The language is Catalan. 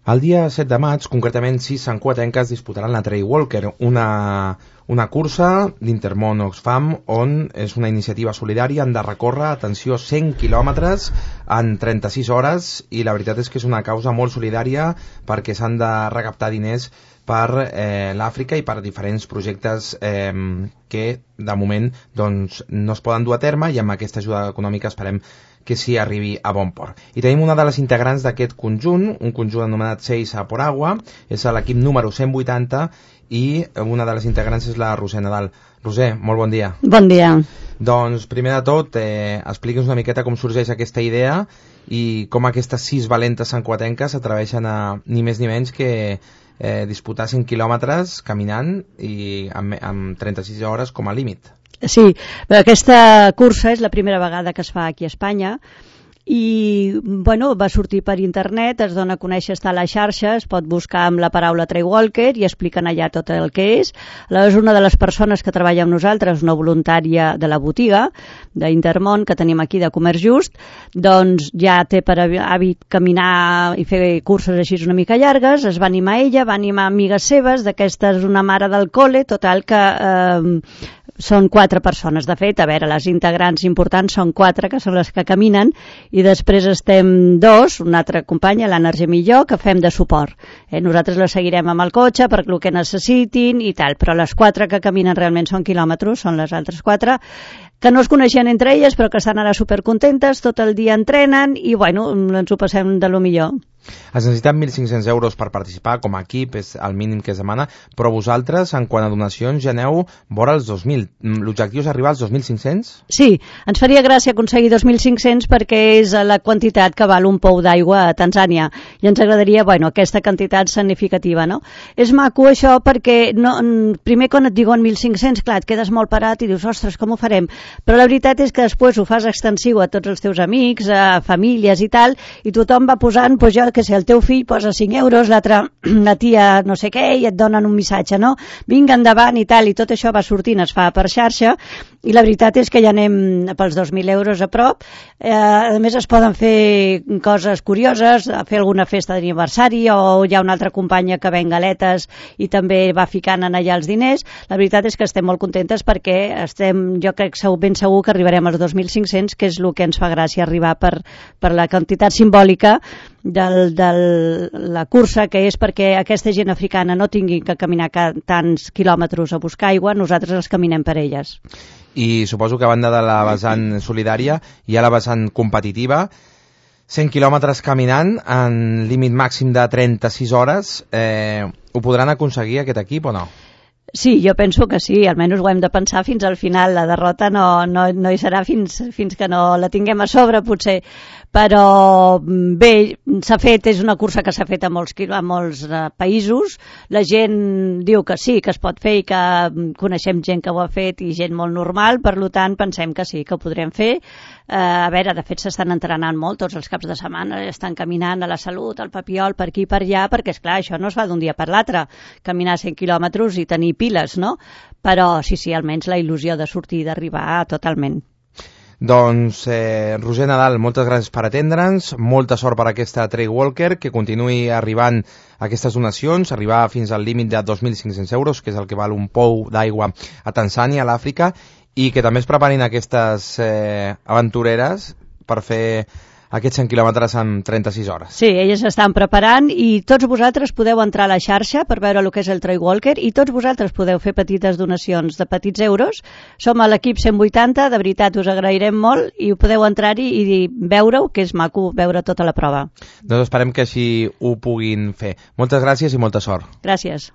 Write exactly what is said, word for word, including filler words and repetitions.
El dia set de maig, concretament sis santcugatenques disputaran la Trail Walker, una, una cursa d'Intermón Oxfam on és una iniciativa solidària, han de recórrer, atenció, cent quilòmetres en trenta-sis hores, i la veritat és que és una causa molt solidària perquè s'han de recaptar diners per eh, l'Àfrica i per diferents projectes eh, que de moment doncs, no es poden dur a terme, i amb aquesta ajuda econòmica esperem que s'hi arribi a bon port. I tenim una de les integrants d'aquest conjunt, un conjunt anomenat Seis a por agua, és l'equip número cent vuitanta, i una de les integrants és la Roser Nadal. Roser, molt bon dia. Bon dia. Doncs, primer de tot, eh, expliqui'ns una miqueta com sorgeix aquesta idea i com aquestes sis valentes santcugatenques s'atreveixen a ni més ni menys que eh, disputar cent quilòmetres caminant i amb, amb trenta-sis hores com a límit. Sí, aquesta cursa és la primera vegada que es fa aquí a Espanya i bueno, va sortir per internet, es dona a conèixer, està a la xarxa, es pot buscar amb la paraula Trail Walker i expliquen allà tot el que és. Aleshores, una de les persones que treballa amb nosaltres, una voluntària de la botiga d'Intermón que tenim aquí de Comerç Just, doncs ja té per hàbit caminar i fer curses així una mica llargues, es va animar ella, va animar amigues seves, d'aquesta és una mare del col·le, total que eh, són quatre persones. De fet, a veure, les integrants importants són quatre, que són les que caminen, i després estem dos, una altra companya, l'Anna Argemí i jo, que fem de suport. Eh, nosaltres la seguirem amb el cotxe per el que necessitin i tal, però les quatre que caminen realment són quilòmetres, són les altres quatre, que no es coneixien entre elles, però que estan ara supercontentes, tot el dia entrenen i, bueno, ens ho passem de lo millor. Es necessiten mil cinc-cents euros per participar, com a equip és el mínim que es demana, però vosaltres, en quant a donacions, ja aneu vora els dos mil. L'objectiu és arribar als dos mil cinc-cents? Sí, ens faria gràcia aconseguir dos mil cinc-cents perquè és la quantitat que val un pou d'aigua a Tanzània, i ens agradaria, bueno, aquesta quantitat significativa, no? És maco això perquè, no, primer quan et diuen mil cinc-cents, clar, et quedes molt parat i dius, ostres, com ho farem? Però la veritat és que després ho fas extensiu a tots els teus amics, a famílies i tal, i tothom va posant, doncs jo, que si el teu fill posa cinc euros, l'altra, la tia no sé què, i et donen un missatge, no? Vinga endavant i tal, i tot això va sortint, es fa per xarxa, i la veritat és que ja anem pels dos mil euros a prop. Eh, a més, es poden fer coses curioses, fer alguna festa d'aniversari, o hi ha una altra companya que ven galetes i també va ficant en allà els diners. La veritat és que estem molt contentes perquè estem, jo crec ben segur que arribarem als dos mil cinc-cents, que és el que ens fa gràcia arribar per, per la quantitat simbòlica de la cursa, que és perquè aquesta gent africana no tingui que caminar tants quilòmetres a buscar aigua, nosaltres els caminem per elles. I suposo que a banda de la vessant solidària hi ha la vessant competitiva, cent quilòmetres caminant en límit màxim de trenta-sis hores, eh, ho podran aconseguir aquest equip o no? Sí, jo penso que sí, almenys ho hem de pensar fins al final. La derrota no, no, no hi serà fins, fins que no la tinguem a sobre, potser. Però bé, s'ha fet, és una cursa que s'ha fet a molts, a molts uh, països. La gent diu que sí, que es pot fer i que coneixem gent que ho ha fet i gent molt normal, per tant pensem que sí, que ho podrem fer. Uh, a veure, de fet s'estan entrenant molt tots els caps de setmana, estan caminant a la Salut, al Papiol, per aquí i per allà, perquè esclar, això no es fa d'un dia per l'altre, caminar cent quilòmetres i tenir piles, no? Però sí, sí, almenys la il·lusió de sortir i d'arribar totalment. Doncs, eh, Roser Nadal, moltes gràcies per atendre'ns, molta sort per aquesta Trail Walker, que continuï arribant aquestes donacions, arribar fins al límit de dos mil cinc-cents euros, que és el que val un pou d'aigua a Tanzània, a l'Àfrica, i que també es preparin aquestes eh, aventureres per fer aquests cent quilòmetres en trenta-sis hores. Sí, elles estan preparant i tots vosaltres podeu entrar a la xarxa per veure el que és el Trail Walker i tots vosaltres podeu fer petites donacions de petits euros. Som a l'equip cent vuitanta, de veritat us agrairem molt i podeu entrar-hi i veure-ho, que és maco veure tota la prova. Doncs esperem que així ho puguin fer. Moltes gràcies i molta sort. Gràcies.